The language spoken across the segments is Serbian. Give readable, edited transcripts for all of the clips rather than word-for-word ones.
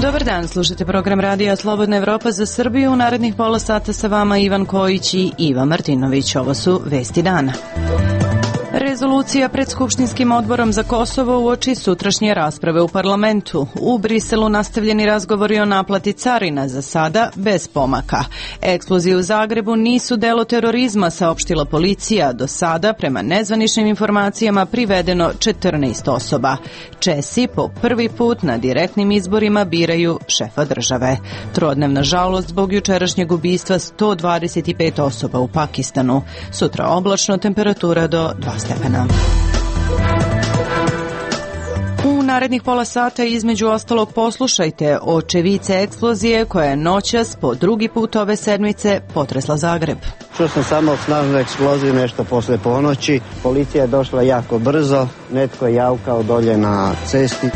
Dobar dan, slušate program Radija Slobodna Evropa za Srbiju. U narednih pola sata sa vama Ivan Kojić i Iva Martinović. Ovo su vesti dana. Rezolucija pred Skupštinskim odborom za Kosovo uoči sutrašnje rasprave u parlamentu. U Briselu nastavljeni razgovori o naplati carina, za sada bez pomaka. Eksplozije u Zagrebu nisu delo terorizma, saopštila policija. Do sada, prema nezvaničnim informacijama, privedeno 14 osoba. Česi po prvi put na direktnim izborima biraju šefa države. Trodnevna žalost zbog jučerašnjeg ubistva 125 osoba u Pakistanu. Sutra oblačno, temperatura do 2 stepena. U narednih pola sata između ostalog poslušajte očevice eksplozije koja je noćas po drugi put ove sedmice potresla Zagreb. Čuo sam samo snažnu eksploziju nešto posle ponoći. Policija je došla jako brzo, netko je javkao dolje na cesti.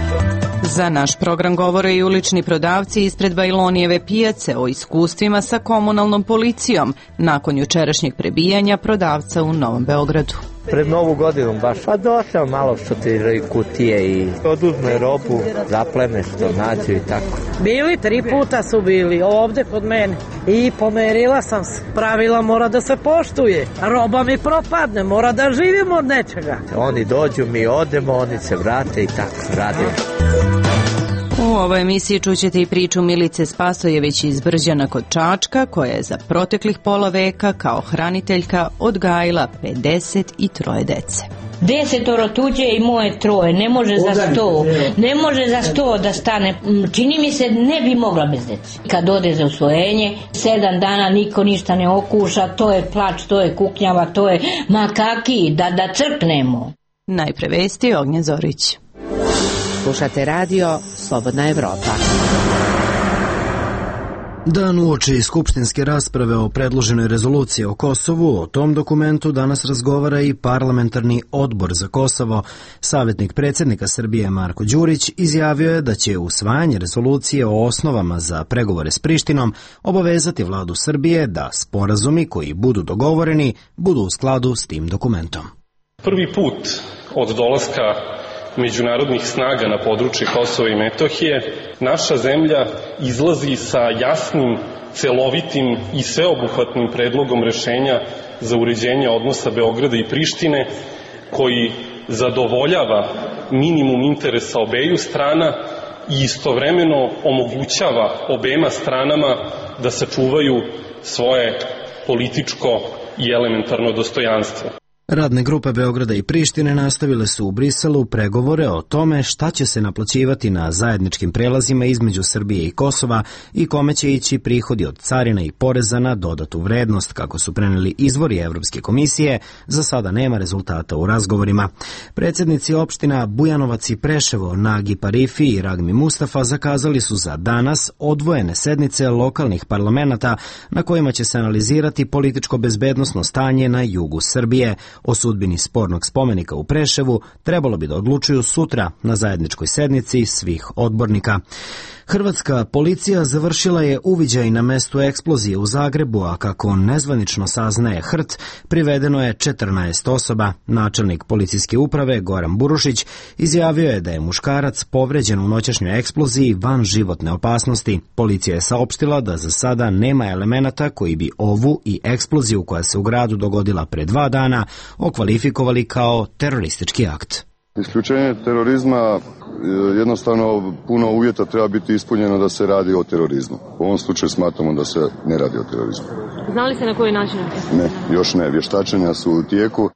Za naš program govore i ulični prodavci ispred Bajlonijeve pijace o iskustvima sa komunalnom policijom nakon jučerašnjeg prebijanja prodavca u Novom Beogradu. Pred Novu godinu baš, pa došao malo što ti kutije i oduzme robu, zapleme što nađu i tako. Bili, 3 puta su bili ovde kod mene i pomerila sam se. Pravila mora da se poštuje, roba mi propadne, mora da živimo od nečega. Oni dođu, mi odemo, oni se vrate i tako radimo. U ovoj emisiji čućete i priču Milice Spasojević iz Brđana kod Čačka, koja je za proteklih pola veka kao hraniteljka odgajila 53 dece. 10 tuđe i moje 3, ne može za 100, ne može za 100 da stane, čini mi se ne bi mogla bez dece. Kad ode za usvojenje, 7 dana niko ništa ne okuša, to je plač, to je kuknjava, to je makaki, da crknemo. Najpre vesti, Ognjen Zorić. Slušate radio Slobodna Evropa. Dan uoči skupštinske rasprave o predloženoj rezoluciji o Kosovu, o tom dokumentu danas razgovara i parlamentarni odbor za Kosovo. Savjetnik predsjednika Srbije Marko Đurić izjavio je da će usvajanje rezolucije o osnovama za pregovore s Prištinom obavezati vladu Srbije da sporazumi koji budu dogovoreni budu u skladu s tim dokumentom. Prvi put od dolaska međunarodnih snaga na područje Kosova i Metohije, naša zemlja izlazi sa jasnim, celovitim i sveobuhvatnim predlogom rešenja za uređenje odnosa Beograda i Prištine, koji zadovoljava minimum interesa obeju strana i istovremeno omogućava obema stranama da sačuvaju svoje političko i elementarno dostojanstvo. Radne grupe Beograda i Prištine nastavile su u Briselu pregovore o tome šta će se naplaćivati na zajedničkim prelazima između Srbije i Kosova i kome će ići prihodi od carina i poreza na dodatu vrednost. Kako su preneli izvori Evropske komisije, za sada nema rezultata u razgovorima. Predsjednici opština Bujanovac i Preševo, Nagi Parifi i Ragmi Mustafa zakazali su za danas odvojene sednice lokalnih parlamenata na kojima će se analizirati političko-bezbednosno stanje na jugu Srbije. O sudbini spornog spomenika u Preševu trebalo bi da odlučuju sutra na zajedničkoj sednici svih odbornika. Hrvatska policija završila je uviđaj na mestu eksplozije u Zagrebu, a kako nezvanično saznaje HRT, privedeno je 14 osoba. Načelnik policijske uprave Goran Burušić izjavio je da je muškarac povređen u noćašnjoj eksploziji van životne opasnosti. Policija je saopštila da za sada nema elemenata koji bi ovu i eksploziju koja se u gradu dogodila pre 2 dana okvalifikovali kao teroristički akt. Isključenje terorizma, jednostavno puno uvjeta treba biti ispunjeno da se radi o terorizmu. U ovom slučaju smatramo da se ne radi o terorizmu. Znali ste na koji način? Ne, još ne. Vještačenja su u tijeku.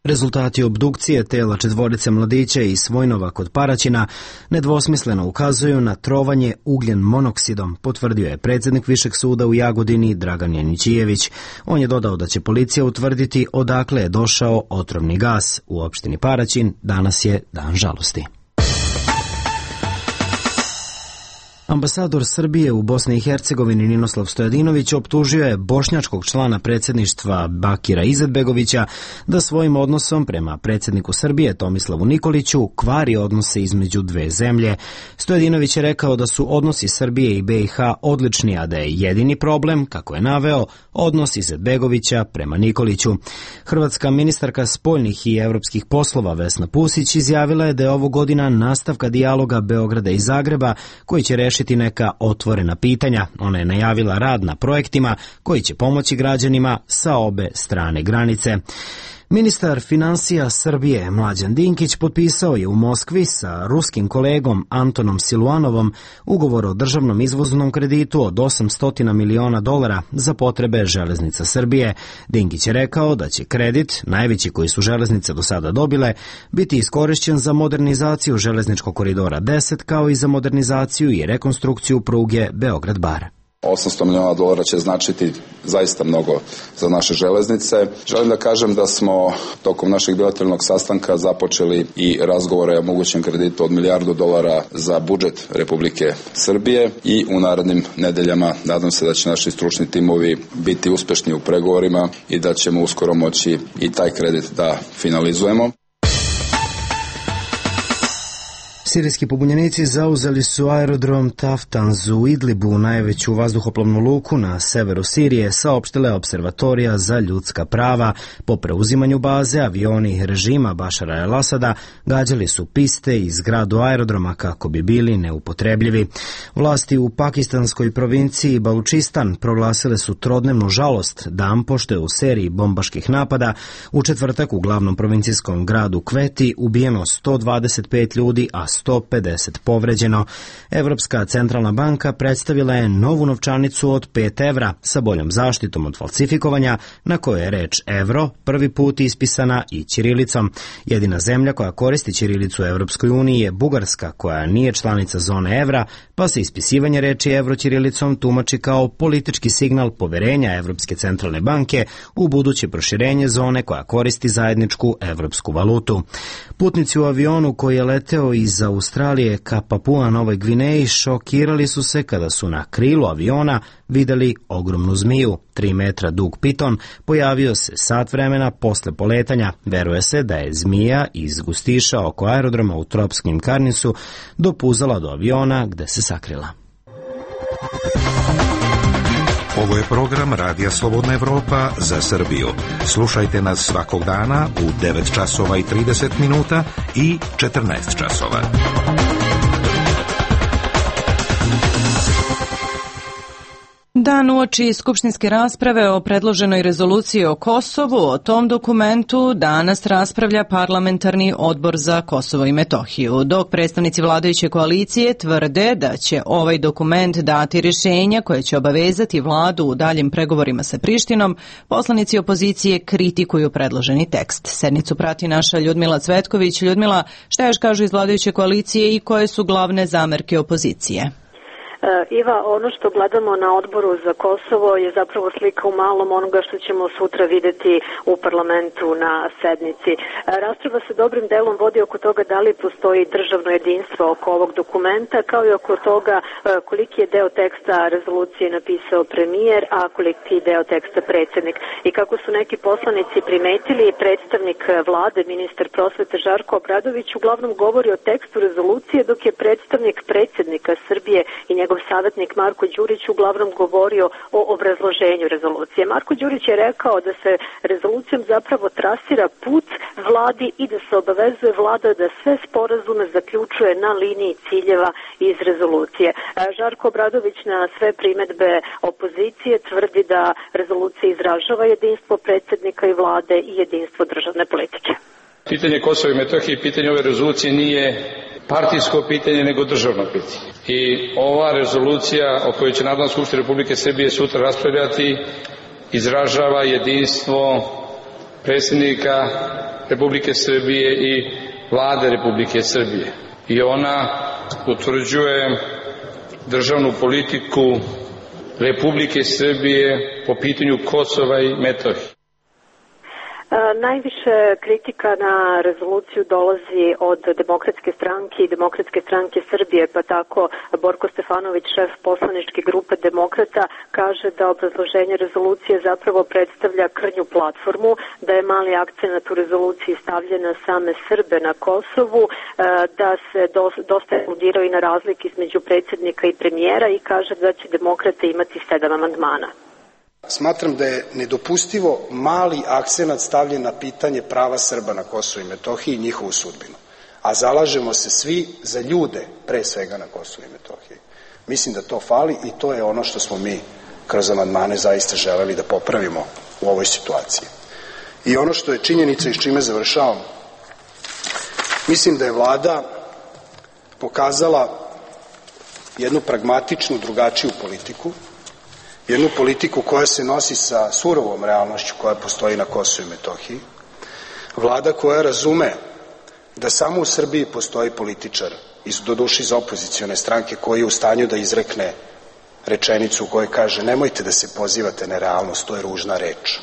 Rezultati obdukcije tela 4 mladića iz Svojnova kod Paraćina nedvosmisleno ukazuju na trovanje ugljen monoksidom, potvrdio je predsjednik Višeg suda u Jagodini Dragan Janićijević. On je dodao da će policija utvrditi odakle je došao otrovni gas. U opštini Paraćin danas je dan žalosti. Ambasador Srbije u Bosni i Hercegovini Ninoslav Stojadinović optužio je bošnjačkog člana predsjedništva Bakira Izetbegovića da svojim odnosom prema predsjedniku Srbije Tomislavu Nikoliću kvari odnose između dve zemlje. Stojadinović je rekao da su odnosi Srbije i BiH odlični, a da je jedini problem, kako je naveo, odnos Izetbegovića prema Nikoliću. Hrvatska ministarka spoljnih i evropskih poslova Vesna Pusić izjavila je da je ovo godina nastavka dijaloga Beograda i Zagreba koji će rešiti rešiti neka otvorena pitanja. Ona je najavila rad na projektima koji će pomoći građanima sa obe strane granice. Ministar finansija Srbije Mlađan Dinkić potpisao je u Moskvi sa ruskim kolegom Antonom Siluanovom ugovor o državnom izvoznom kreditu od $800 miliona za potrebe železnica Srbije. Dinkić je rekao da će kredit, najveći koji su železnice do sada dobile, biti iskorišćen za modernizaciju železničkog koridora 10 kao i za modernizaciju i rekonstrukciju pruge Beograd-Bar. $800 miliona će značiti zaista mnogo za naše železnice. Želim da kažem da smo tokom našeg bilateralnog sastanka započeli i razgovore o mogućem kreditu od $1 milijardu za budžet Republike Srbije i u narednim nedeljama nadam se da će naši stručni timovi biti uspešni u pregovorima i da ćemo uskoro moći i taj kredit da finalizujemo. Sirijski pobunjenici zauzeli su aerodrom Taftanz u Idlibu, najveću vazduhoplovnu luku na severu Sirije, saopštila je Observatorija za ljudska prava. Po preuzimanju baze, avioni režima Bašara el-Asada gađali su piste i zgradu aerodroma kako bi bili neupotrebljivi. Vlasti u pakistanskoj provinciji Balučistan proglasile su trodnevnu žalost, dan pošto je u seriji bombaških napada u četvrtak u glavnom provincijskom gradu Kveti ubijeno 125 ljudi, a 150 povređeno. Evropska centralna banka predstavila je novu novčanicu od 5 evra sa boljom zaštitom od falsifikovanja, na kojoj je reč evro prvi put ispisana i ćirilicom. Jedina zemlja koja koristi ćirilicu u Evropskoj uniji je Bugarska, koja nije članica zone evra, pa se ispisivanje reči evro ćirilicom tumači kao politički signal poverenja Evropske centralne banke u buduće proširenje zone koja koristi zajedničku evropsku valutu. Putnici u avionu koji je leteo iz Australije ka Papua Novoj Gvineji šokirali su se kada su na krilu aviona videli ogromnu zmiju. 3 metra dug piton pojavio se sat vremena posle poletanja. Veruje se da je zmija iz gustiša oko aerodroma u tropskim Karnisu dopuzala do aviona gde se sakrila. Ovo je program Radija Slobodna Evropa za Srbiju. Slušajte nas svakog dana u 9 časova i 30 minuta i 14 časova. Dan uoči skupštinske rasprave o predloženoj rezoluciji o Kosovu, o tom dokumentu danas raspravlja parlamentarni odbor za Kosovo i Metohiju, dok predstavnici vladajuće koalicije tvrde da će ovaj dokument dati rješenja koje će obavezati vladu u daljim pregovorima sa Prištinom, poslanici opozicije kritikuju predloženi tekst. Sednicu prati naša Ljudmila Cvetković. Ljudmila, šta još kažu iz vladajuće koalicije i koje su glavne zamerke opozicije? Iva, ono što gledamo na odboru za Kosovo je zapravo slika u malom onoga što ćemo sutra videti u parlamentu na sednici. Rasprava se dobrim delom vodi oko toga da li postoji državno jedinstvo oko ovog dokumenta, kao i oko toga koliki je deo teksta rezolucije napisao premijer, a koliki deo teksta predsjednik. I kako su neki poslanici primetili, predstavnik vlade, ministar prosvete Žarko Obradović uglavnom govori o tekstu rezolucije, dok je predstavnik predsjednika Srbije i njegov savjetnik Marko Đurić uglavnom govorio o obrazloženju rezolucije. Marko Đurić je rekao da se rezolucijom zapravo trasira put vladi i da se obavezuje vlada da sve sporazume zaključuje na liniji ciljeva iz rezolucije. Žarko Obradović na sve primedbe opozicije tvrdi da rezolucija izražava jedinstvo predsjednika i vlade i jedinstvo državne politike. Pitanje Kosova i Metohije i pitanje ove rezolucije nije partijsko pitanje, nego državno pitanje. I ova rezolucija o kojoj će Narodna skupština Republike Srbije sutra raspravljati izražava jedinstvo predsjednika Republike Srbije i vlade Republike Srbije. I ona utvrđuje državnu politiku Republike Srbije po pitanju Kosova i Metohije. Najviše kritika na rezoluciju dolazi od Demokratske stranke i Demokratske stranke Srbije, pa tako Borko Stefanović, šef poslaničke grupe Demokrata, kaže da obrazloženje rezolucije zapravo predstavlja krnju platformu, da je mali akcenat u rezoluciji stavljen na same Srbe na Kosovu, da se dosta aludirao i na razlike između predsjednika i premijera i kaže da će Demokrate imati 7 amandmana. Smatram da je nedopustivo mali akcenat stavljen na pitanje prava Srba na Kosovu i Metohiji i njihovu sudbinu. A zalažemo se svi za ljude, pre svega na Kosovu i Metohiji. Mislim da to fali i to je ono što smo mi kroz amandmane zaista želeli da popravimo u ovoj situaciji. I ono što je činjenica i s čime završavam, mislim da je Vlada pokazala jednu pragmatičnu, drugačiju politiku, jednu politiku koja se nosi sa surovom realnošću koja postoji na Kosovu i Metohiji, Vlada koja razume da samo u Srbiji postoji političar, doduše iz opozicione stranke, koji je u stanju da izrekne rečenicu u kojoj kaže nemojte da se pozivate na realnost, to je ružna reč.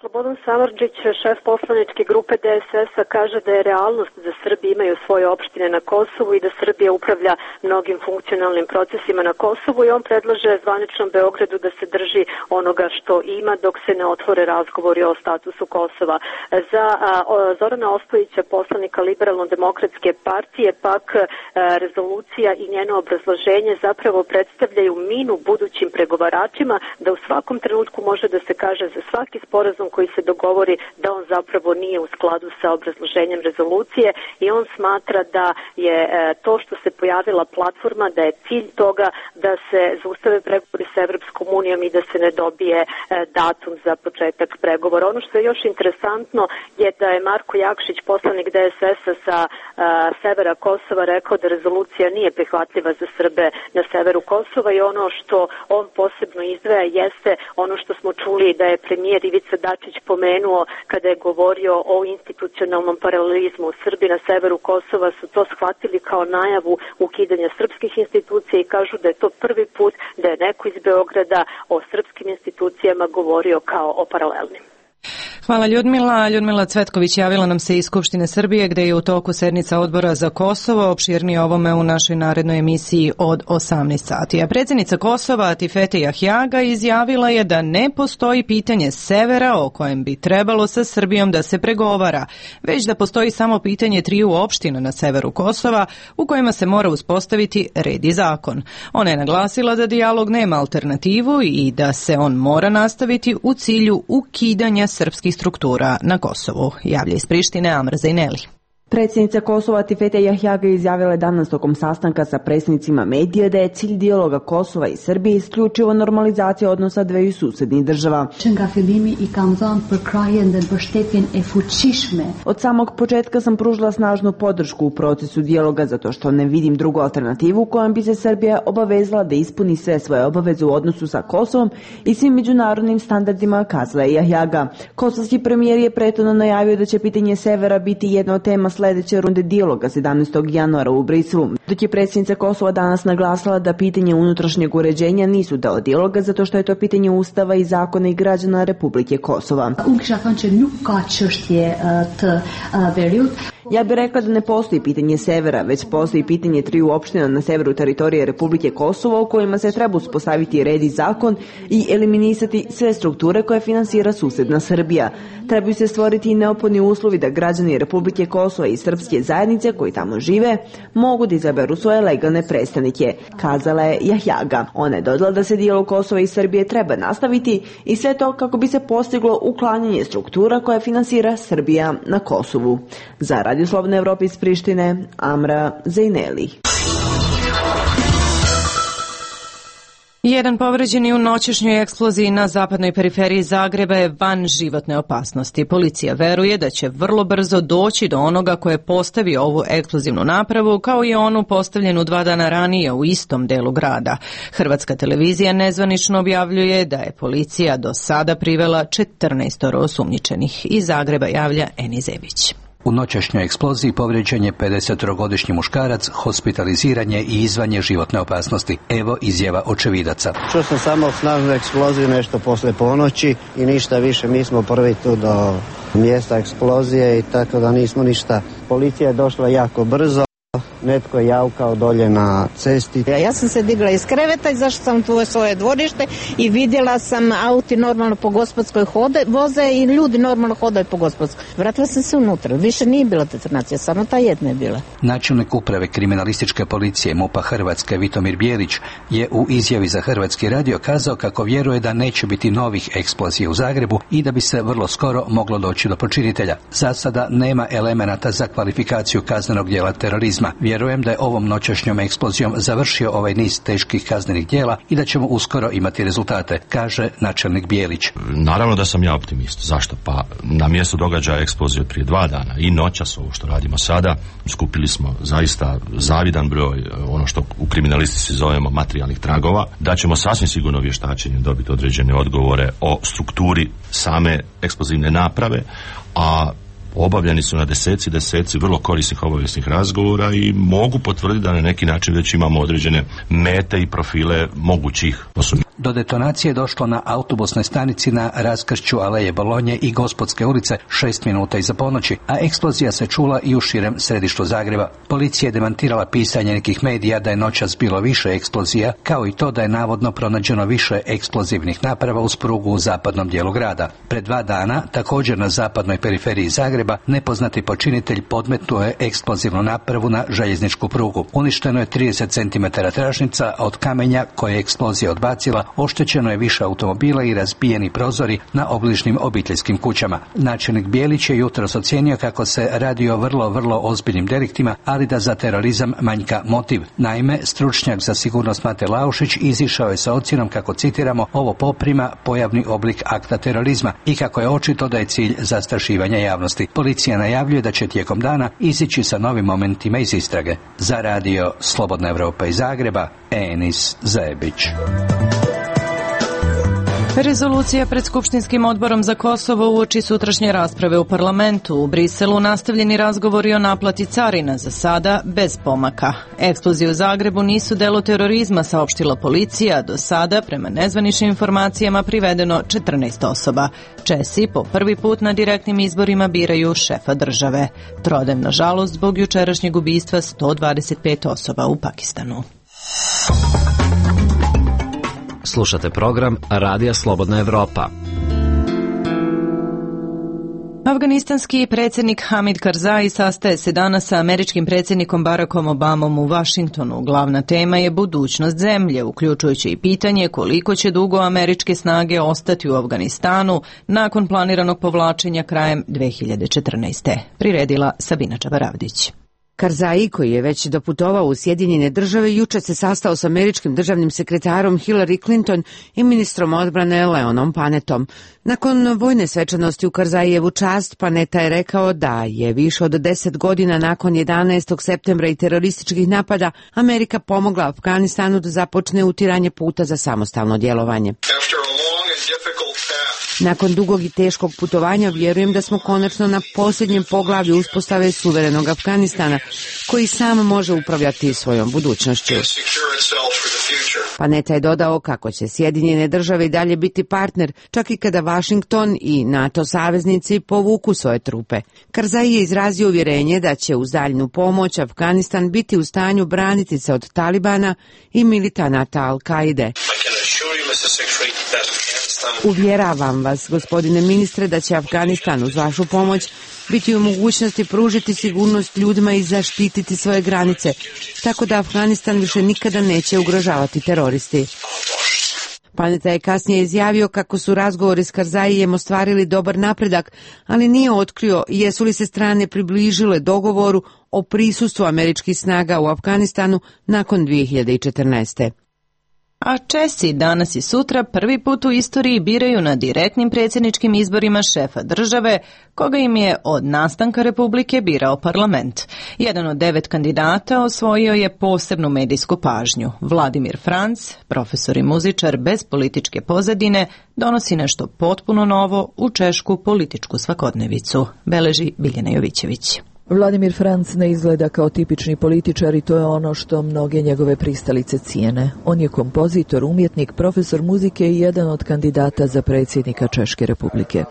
Slobodan Samardžić, šef poslaničke grupe DSS-a, kaže da je realnost da Srbi imaju svoje opštine na Kosovu i da Srbija upravlja mnogim funkcionalnim procesima na Kosovu i on predlaže zvaničnom Beogradu da se drži onoga što ima dok se ne otvore razgovori o statusu Kosova. Za Zorana Ostojića, poslanika Liberalno-demokratske partije, pak rezolucija i njeno obrazloženje zapravo predstavljaju minu budućim pregovaračima da u svakom trenutku može da se kaže za svaki sporazum koji se dogovori da on zapravo nije u skladu sa obrazloženjem rezolucije i on smatra da je to što se pojavila platforma, da je cilj toga da se zaustave pregovori sa Evropskom unijom i da se ne dobije datum za početak pregovora. Ono što je još interesantno je da je Marko Jakšić, poslanik DSS-a sa severa Kosova, rekao da rezolucija nije prihvatljiva za Srbe na severu Kosova i ono što on posebno izdvaja jeste ono što smo čuli da je premijer Ivica Dačić pomenuo kada je govorio o institucionalnom paralelizmu. Srbi na severu Kosova su to shvatili kao najavu ukidanja srpskih institucija i kažu da je to prvi put da je neko iz Beograda o srpskim institucijama govorio kao o paralelnim. Hvala Ljudmila. Ljudmila Cvetković javila nam se iz Skupštine Srbije gde je u toku sednica odbora za Kosovo, opširnije ovome u našoj narednoj emisiji od 18 sati. A predsjednica Kosova Atifete Jahjaga izjavila je da ne postoji pitanje severa o kojem bi trebalo sa Srbijom da se pregovara, već da postoji samo pitanje triju opština na severu Kosova u kojima se mora uspostaviti red i zakon. Ona je naglasila da dijalog nema alternativu i da se on mora nastaviti u cilju ukidanja srpskih struktura na Kosovu. Javlja iz Prištine Amra Zajneli. Predsjednica Kosova Atifete Jahjaga izjavila je danas tokom sastanka sa predstavnicima medija da je cilj dijaloga Kosova i Srbije isključivo normalizacija odnosa dveju susednih država. Od samog početka sam pružila snažnu podršku u procesu dijaloga zato što ne vidim drugu alternativu kojom bi se Srbija obavezala da ispuni sve svoje obaveze u odnosu sa Kosovom i svim međunarodnim standardima, kazala je Jahjaga. Kosovski premijer je prethodno najavio da će pitanje severa biti jedna od tema sljedeće runde dijaloga 17. januara u Briselu, dok je predsjednica Kosova danas naglasila da pitanje unutrašnjeg uređenja nisu deo dijaloga zato što je to pitanje Ustava i zakona i građana Republike Kosova. Ja bih rekla da ne postoji pitanje severa, već postoji pitanje triju opština na severu teritorije Republike Kosovo u kojima se treba uspostaviti red i zakon i eliminisati sve strukture koje finansira susedna Srbija. Trebaju se stvoriti i neophodni uslovi da građani Republike Kosova i srpske zajednice koji tamo žive mogu da izaberu svoje legalne predstavnike, kazala je Jahjaga. Ona je dodala da se dijalog Kosova i Srbije treba nastaviti i sve to kako bi se postiglo uklanjanje struktura koje finansira Srbija na Kosovu. Za Radio Slobodne Evrope iz Prištine, Amra Zajneli. Jedan povređeni u noćešnjoj eksploziji na zapadnoj periferiji Zagreba je van životne opasnosti. Policija veruje da će vrlo brzo doći do onoga ko je postavio ovu eksplozivnu napravu, kao i onu postavljenu 2 dana ranije u istom delu grada. Hrvatska televizija nezvanično objavljuje da je policija do sada privela 14 osumnjičenih. Iz Zagreba javlja Eni Zebić. U noćašnjoj eksploziji povrijeđen je 53-godišnji muškarac, hospitaliziran je i izvan je životne opasnosti. Evo izjava očevidaca. Čuo sam samo snažnu eksploziju nešto posle ponoći i ništa više. Mi smo prvi tu do mjesta eksplozije i tako da nismo ništa. Policija je došla jako brzo. Netko je javkao dolje na cesti. Ja sam se digla iz kreveta i zašla sam tu u svoje dvorište i vidjela sam auti normalno po Gospodskoj voze i ljudi normalno hodaju po Gospodskoj. Vratila sam se unutra, više nije bila detonacija, samo ta jedna je bila. Načelnik uprave kriminalističke policije MUP-a Hrvatske Vitomir Bijelić je u izjavi za Hrvatski radio kazao kako vjeruje da neće biti novih eksplozija u Zagrebu i da bi se vrlo skoro moglo doći do počinitelja. Za sada nema elemenata za kvalifikaciju kaznenog djela terorizma. Vjerujem da je ovom noćašnjom eksplozijom završio ovaj niz teških kaznenih djela i da ćemo uskoro imati rezultate, kaže načelnik Bijelić. Naravno da sam ja optimist. Zašto? Pa na mjestu događaja eksplozije prije 2 dana i noćas ovo što radimo sada, skupili smo zaista zavidan broj, ono što u kriminalistici zovemo materijalnih tragova, da ćemo sasvim sigurno vještačenjem dobiti određene odgovore o strukturi same eksplozivne naprave, a obavljeni su na deseci vrlo korisnih obavijesnih razgovora i mogu potvrditi da na neki način već imamo određene mete i profile mogućih osoba. Do detonacije je došlo na autobusnoj stanici na raskršću Aleje Bolonje i Gospodske ulice 6 minuta iza ponoći, a eksplozija se čula i u širem središtu Zagreba. Policija je demantirala pisanje nekih medija da je noćas bilo više eksplozija, kao i to da je navodno pronađeno više eksplozivnih naprava uz prugu u zapadnom dijelu grada. Pred 2 dana, također na zapadnoj periferiji Zagreba, nepoznati počinitelj podmetnuo je eksplozivnu napravu na željezničku prugu. Uništeno je 30 cm tračnica, a od kamenja koje je eksplozija odbacila oštećeno je više automobila i razbijeni prozori na obližnjim obiteljskim kućama. Načelnik Bijelić je jutros ocijenio kako se radi o vrlo ozbiljnim deliktima, ali da za terorizam manjka motiv. Naime, stručnjak za sigurnost Mate Laušić izišao je sa ocjenom kako, citiramo, ovo poprima pojavni oblik akta terorizma i kako je očito da je cilj zastrašivanja javnosti. Policija najavljuje da će tijekom dana izići sa novim momentima iz istrage. Za radio Slobodna Evropa iz Zagreba, Enis Zajebić. Rezolucija pred Skupštinskim odborom za Kosovo uoči sutrašnje rasprave u parlamentu. U Briselu nastavljeni razgovori o naplati carina, za sada bez pomaka. Eksplozije u Zagrebu nisu delo terorizma, saopštila policija. Do sada, prema nezvaničnim informacijama, privedeno 14 osoba. Česi po prvi put na direktnim izborima biraju šefa države. Trodem, nažalost, zbog jučerašnjeg ubistva 125 osoba u Pakistanu. Slušate program Radija Slobodna Evropa. Afganistanski predsjednik Hamid Karzai sastaje se danas sa američkim predsjednikom Barackom Obamom u Vašingtonu. Glavna tema je budućnost zemlje, uključujući i pitanje koliko će dugo američke snage ostati u Afganistanu nakon planiranog povlačenja krajem 2014. Priredila Sabina Čabaravdić. Karzai, koji je već doputovao u Sjedinjene Države, juče se sastao s američkim državnim sekretarom Hillary Clinton i ministrom odbrane Leonom Panetom. Nakon vojne svečanosti u Karzajijevu čast, Paneta je rekao da je više od 10 godina nakon 11. septembra i terorističkih napada Amerika pomogla Afganistanu da započne utiranje puta za samostalno djelovanje. Nakon dugog i teškog putovanja vjerujem da smo konačno na posljednjem poglavlju uspostave suverenog Afganistana, koji sam može upravljati svojom budućnošću. Paneta je dodao kako će Sjedinjene Države i dalje biti partner, čak i kada Washington i NATO saveznici povuku svoje trupe. Karzai je izrazio uvjerenje da će uz daljnju pomoć Afganistan biti u stanju braniti se od Talibana i militanata Al-Kaide. Uvjeravam vas, gospodine ministre, da će Afganistan uz vašu pomoć biti u mogućnosti pružiti sigurnost ljudima i zaštititi svoje granice, tako da Afganistan više nikada neće ugrožavati teroristi. Paneta je kasnije izjavio kako su razgovori s Karzajijem ostvarili dobar napredak, ali nije otkrio jesu li se strane približile dogovoru o prisustvu američkih snaga u Afganistanu nakon 2014. A Česi danas i sutra prvi put u istoriji biraju na direktnim predsjedničkim izborima šefa države, koga im je od nastanka Republike birao parlament. Jedan od 9 kandidata osvojio je posebnu medijsku pažnju. Vladimir Franc, profesor i muzičar bez političke pozadine, donosi nešto potpuno novo u češku političku svakodnevicu, beleži Biljana Jovićević. Vladimir Franc ne izgleda kao tipični političar i to je ono što mnoge njegove pristalice cijene. On je kompozitor, umjetnik, profesor muzike i jedan od kandidata za predsjednika Češke Republike.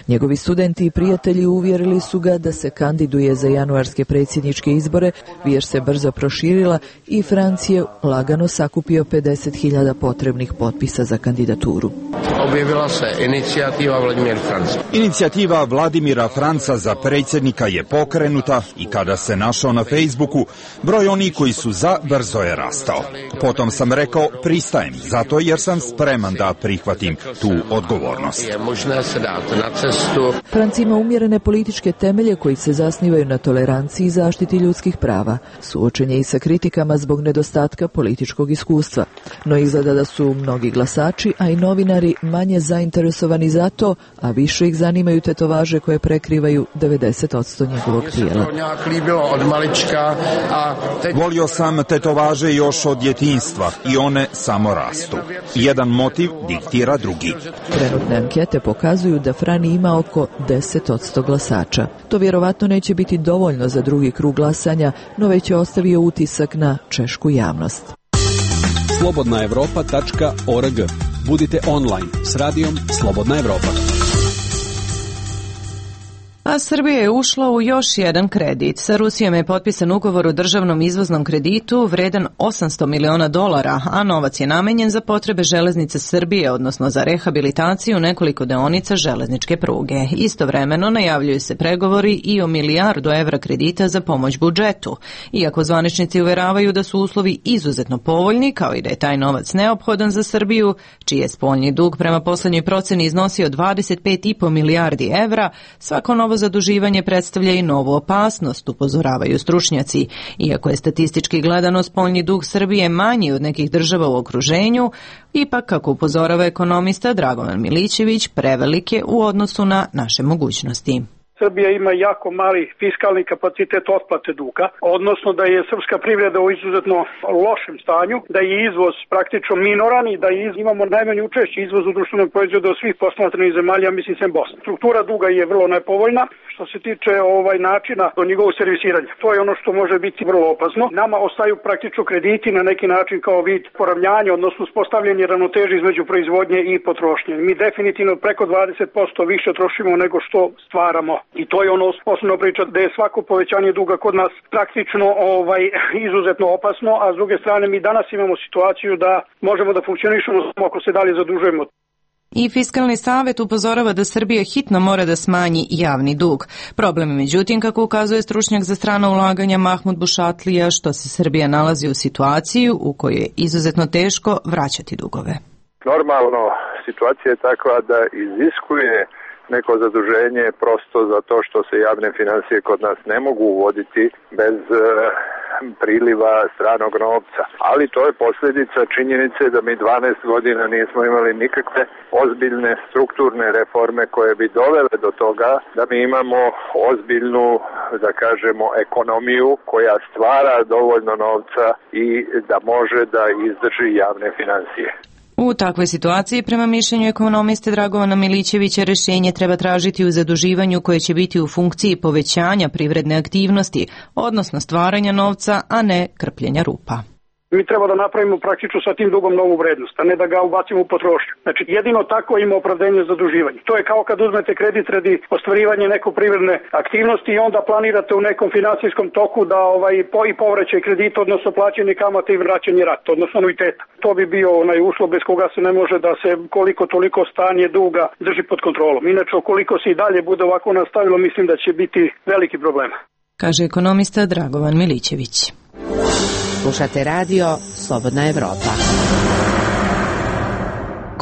Njegovi studenti i prijatelji uvjerili su ga da se kandiduje za januarske predsjedničke izbore, vijest se brzo proširila i Franc je lagano sakupio 50.000 potrebnih potpisa za kandidaturu. Objavila se inicijativa Vladimir Franc. Inicijativa Vladimira Franca za predsjednika je pokrenuta minuta i kada se našao na Facebooku, broj onih koji su za brzo je rastao. Potom sam rekao pristajem, zato jer sam spreman da prihvatim tu odgovornost. Franci ima umjerene političke temelje koji se zasnivaju na toleranciji i zaštiti ljudskih prava. Suočen je i sa kritikama zbog nedostatka političkog iskustva. No izgleda da su mnogi glasači, a i novinari manje zainteresovani za to, a više ih zanimaju tetovaže koje prekrivaju 90% njegovog tijela. Volio sam tetovaže još od djetinjstva i one samo rastu. Jedan motiv diktira drugi. Trenutne ankete pokazuju da Frani ima oko 10% glasača. To vjerovatno neće biti dovoljno za drugi krug glasanja, no već je ostavio utisak na češku javnost. slobodnaevropa.org. Budite online s radijom Slobodna Evropa. A Srbija je ušla u još jedan kredit. Sa Rusijom je potpisan ugovor o državnom izvoznom kreditu vredan $800 miliona, a novac je namenjen za potrebe železnice Srbije, odnosno za rehabilitaciju nekoliko deonica železničke pruge. Istovremeno najavljuju se pregovori i o $1 milijardu kredita za pomoć budžetu. Iako zvaničnici uveravaju da su uslovi izuzetno povoljni, kao i da je taj novac neophodan za Srbiju, čiji je spoljni dug prema poslednjoj proceni iznosio 25,5 milijardi evra, svako novo zaduživanje predstavlja i novu opasnost, upozoravaju stručnjaci. Iako je statistički gledano spoljni dug Srbije manji od nekih država u okruženju, ipak, kako upozorava ekonomista Dragovan Milićević, prevelik je u odnosu na naše mogućnosti. Srbija ima jako mali fiskalni kapacitet otplate duga, odnosno da je srpska privreda u izuzetno lošem stanju, da je izvoz praktično minoran i da imamo najmanje učešće izvozu društvenog proizvoda od svih posmatranih zemalja, mislim sem Bosne. Struktura duga je vrlo nepovoljna što se tiče načina do njegovog servisiranja. To je ono što može biti vrlo opasno. Nama ostaju praktično krediti na neki način kao vid poravnjanja, odnosno uspostavljanje ravnoteže između proizvodnje i potrošnje. Mi definitivno preko 20% više trošimo nego što stvaramo. I to je ono osnovna priča da je svako povećanje duga kod nas praktično izuzetno opasno, a s druge strane mi danas imamo situaciju da možemo da funkcionišemo samo ako se dalje zadužujemo. I Fiskalni savet upozorava da Srbija hitno mora da smanji javni dug. Problem je, međutim, kako ukazuje stručnjak za strana ulaganja Mahmud Bušatlija, što se Srbija nalazi u situaciju u kojoj je izuzetno teško vraćati dugove. Normalno, situacija je takva da iziskuje neko zaduženje prosto zato što se javne financije kod nas ne mogu uvoditi bez priliva stranog novca. Ali to je posljedica činjenice da mi 12 godina nismo imali nikakve ozbiljne strukturne reforme koje bi dovele do toga da mi imamo ozbiljnu, da kažemo, ekonomiju koja stvara dovoljno novca i da može da izdrži javne financije. U takvoj situaciji, prema mišljenju ekonomiste Dragovana Milićevića, rješenje treba tražiti u zaduživanju koje će biti u funkciji povećanja privredne aktivnosti, odnosno stvaranja novca, a ne krpljenja rupa. Mi treba da napravimo praktično sa tim dugom novu vrednost, a ne da ga ubacimo u potrošnju. Znači, jedino tako ima opravdanje zaduživanja. To je kao kad uzmete kredit radi ostvarivanja neke privredne aktivnosti i onda planirate u nekom financijskom toku da i povraćaj kredita, odnosno plaćanje kamata i vraćanje rata, odnosno anuiteta. To bi bio uslov bez koga se ne može da se koliko toliko stanje duga drži pod kontrolom. Inače, ukoliko se i dalje bude ovako nastavilo, mislim da će biti veliki problem. Kaže ekonomista Dragovan Milićević. Slušate radio Slobodna Evropa.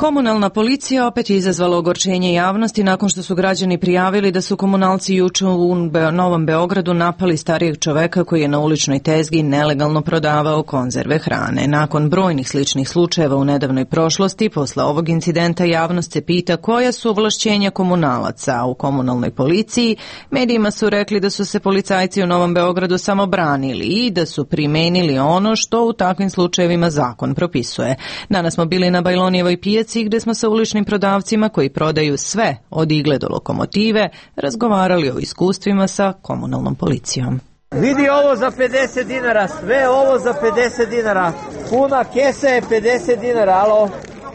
Komunalna policija opet je izazvala ogorčenje javnosti nakon što su građani prijavili da su komunalci juče u Novom Beogradu napali starijeg čoveka koji je na uličnoj tezgi nelegalno prodavao konzerve hrane. Nakon brojnih sličnih slučajeva u nedavnoj prošlosti, posle ovog incidenta javnost se pita koja su ovlašćenja komunalaca. U komunalnoj policiji medijima su rekli da su se policajci u Novom Beogradu samo branili i da su primenili ono što u takvim slučajevima zakon propisuje. Danas smo bili na Bajlonijevoj pijaci gde smo sa uličnim prodavcima koji prodaju sve od igle do lokomotive razgovarali o iskustvima sa komunalnom policijom. Vidi ovo za 50 dinara, sve ovo za 50 dinara, puna kesa je 50 dinara, alo?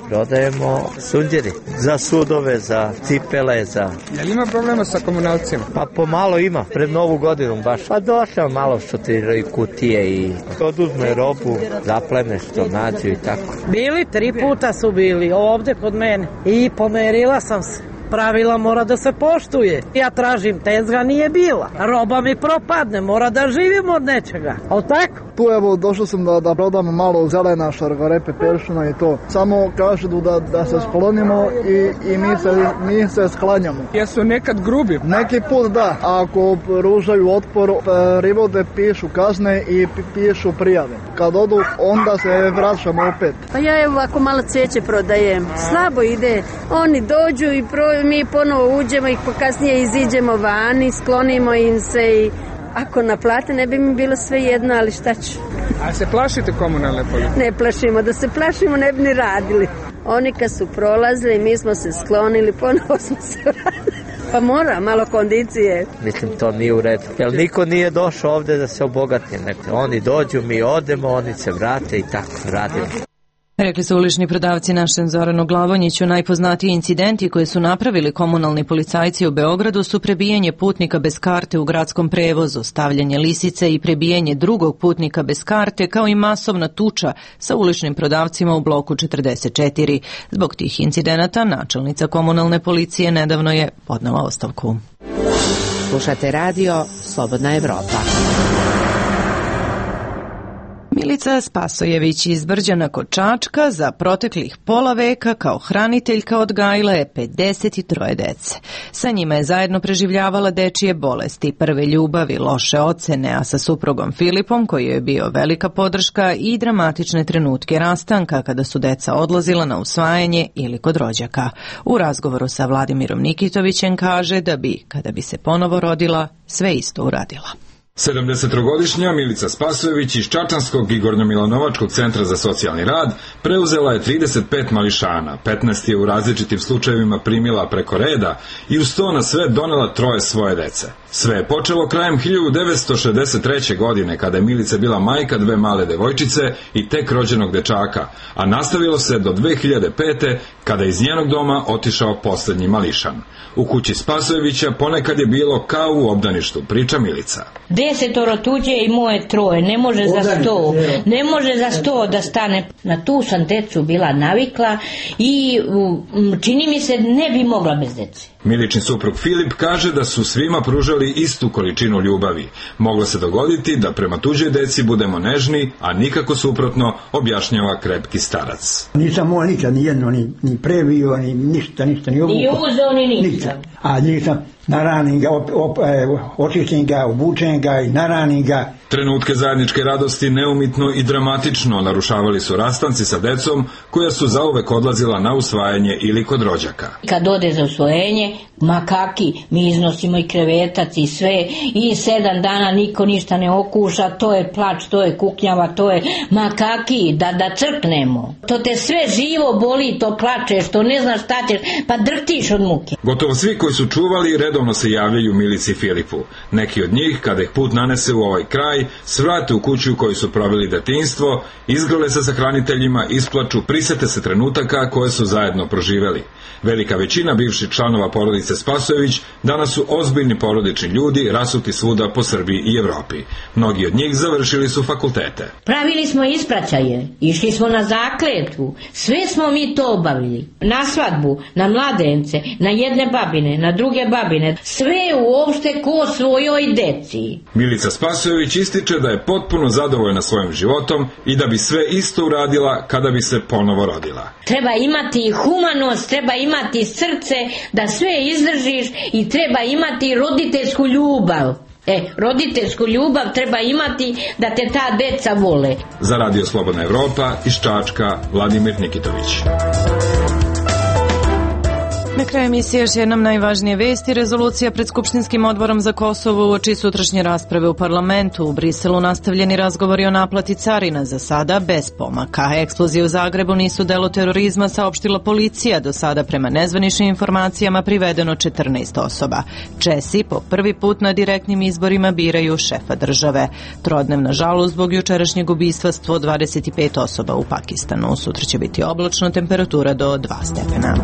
Prodajemo sunđeri za sudove, za cipele, za... Jel ima problema sa komunalcima? Pa pomalo ima, pred Novu godinu baš. Pa došao malo šutiraju kutije i oduzme robu, zaplene što nađu i tako. Bili 3 puta su bili ovde kod mene i pomerila sam se. pravila mora da se poštuje. Ja tražim tezga, nije bila. Roba mi propadne, mora da živim od nečega. O tako? Tu evo došao sam da prodam malo zelena, šargarepe, peršuna i to. Samo kažu da se sklonimo i mi se sklanjamo. Jesu nekad grubi? Neki put da. Ako pružaju otpor, privode, pišu kazne i pišu prijave. Kad odu, onda se vraćamo opet. Pa ja evo ako malo cvijeće prodajem. Slabo ide. Oni dođu i mi ponovo uđemo i kasnije iziđemo vani, sklonimo im se i ako naplate ne bi mi bilo sve jedno, ali šta ću? A se plašite komunalne policije? Ne plašimo, da se plašimo ne bi ni radili. Oni kad su prolazili, mi smo se sklonili, ponovo smo se radili. Pa mora, malo kondicije. Mislim, to nije u redu. Jer niko nije došao ovde da se obogati. Oni dođu, mi odemo, oni se vrate i tako radimo. Rekli su ulični prodavci našem Zoranu Glavonjiću. Najpoznatiji incidenti koje su napravili komunalni policajci u Beogradu su prebijanje putnika bez karte u gradskom prevozu, stavljanje lisice i prebijanje drugog putnika bez karte, kao i masovna tuča sa uličnim prodavcima u bloku 44. Zbog tih incidenata načelnica komunalne policije nedavno je podnela ostavku. Slušate radio Slobodna Evropa. Milica Spasojević iz Brđana kod Čačka za proteklih pola veka kao hraniteljka odgajila je 53 dece. Sa njima je zajedno preživljavala dečije bolesti, prve ljubavi, loše ocene, a sa suprugom Filipom, koji je bio velika podrška, i dramatične trenutke rastanka kada su deca odlazila na usvajanje ili kod rođaka. U razgovoru sa Vladimirom Nikitovićem kaže da bi, kada bi se ponovo rodila, sve isto uradila. 73-godišnja Milica Spasojević iz Čačanskog i Gornjomilanovačkog centra za socijalni rad preuzela je 35 mališana, 15 je u različitim slučajevima primila preko reda i uz to na sve donela 3 svoje dece. Sve je počelo krajem 1963. godine kada je Milica bila majka 2 male devojčice i tek rođenog dečaka, a nastavilo se do 2005. kada je iz njenog doma otišao poslednji mališan. U kući Spasojevića ponekad je bilo kao u obdaništu, priča Milica. 10 tuđe i moje 3, ne može za 100, ne može za 100 da stane. Na tu sam decu bila navikla i čini mi se ne bi mogla bez dece. Miličin suprug Filip kaže da su svima pružali istu količinu ljubavi. Moglo se dogoditi da prema tuđoj deci budemo nežni, a nikako suprotno, objašnjava krepki starac. Nisam moj nikad ni jedno, ni previo, ni ništa, ni obukao. Ni uzeo, ni ništa. A nisam naranim ga, očistim ga, obučem ga i naranim ga. Trenutke zajedničke radosti neumitno i dramatično narušavali su rastanci sa decom koja su zauvek odlazila na usvajanje ili kod rođaka. Kad ode za usvojenje, makaki, mi iznosimo i krevetac i sve, i 7 dana niko ništa ne okuša, to je plač, to je kuknjava, to je makaki, da crknemo. To te sve živo boli, to plačeš, to ne znaš šta ćeš, pa drhtiš od muke. Gotovo svi koji su čuvali redovno se javljaju Milici i Filipu. Neki od njih, kada ih put nanese u ovaj kraj, svrate u kuću u kojoj su proveli detinjstvo, izgrle se sa hraniteljima, isplaču, prisete se trenutaka koje su zajedno proživeli. Velika većina bivših članova porodice Spasojević danas su ozbiljni porodični ljudi rasuti svuda po Srbiji i Evropi. Mnogi od njih završili su fakultete. Pravili smo ispraćaje, išli smo na zakletvu, sve smo mi to obavili. Na svadbu, na mladence, na jedne babine, na druge babine, sve uopšte ko svojoj deci. Milica Spasojević ističe da je potpuno zadovoljna svojim životom i da bi sve isto uradila kada bi se ponovo rodila. Treba imati humanost, treba imati srce da sve izdržiš i treba imati roditeljsku ljubav. Roditeljsku ljubav treba imati da te ta deca vole. Za Radio Slobodna Evropa iz Čačka, Vladimir Nikitović. Na kraju emisije još jednom najvažnije vesti. Rezolucija pred Skupštinskim odborom za Kosovo uoči sutrašnje rasprave u parlamentu. U Briselu nastavljeni razgovori o naplati carina, za sada bez pomaka. Eksplozije u Zagrebu nisu delo terorizma, saopštila policija. Do sada prema nezvaničnim informacijama privedeno 14 osoba. Česi po prvi put na direktnim izborima biraju šefa države. Trodnevna žalost zbog jučerašnjeg ubistva 125 osoba u Pakistanu. Sutra će biti oblačno, temperatura do 2 stepena.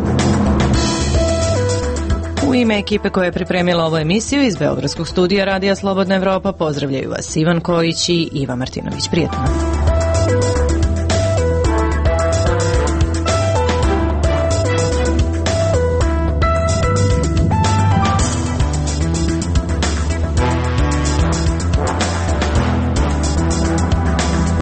U ime ekipe koja je pripremila ovu emisiju iz Beogradskog studija Radija Slobodna Evropa pozdravljaju vas Ivan Kojić i Iva Martinović. Prijetno.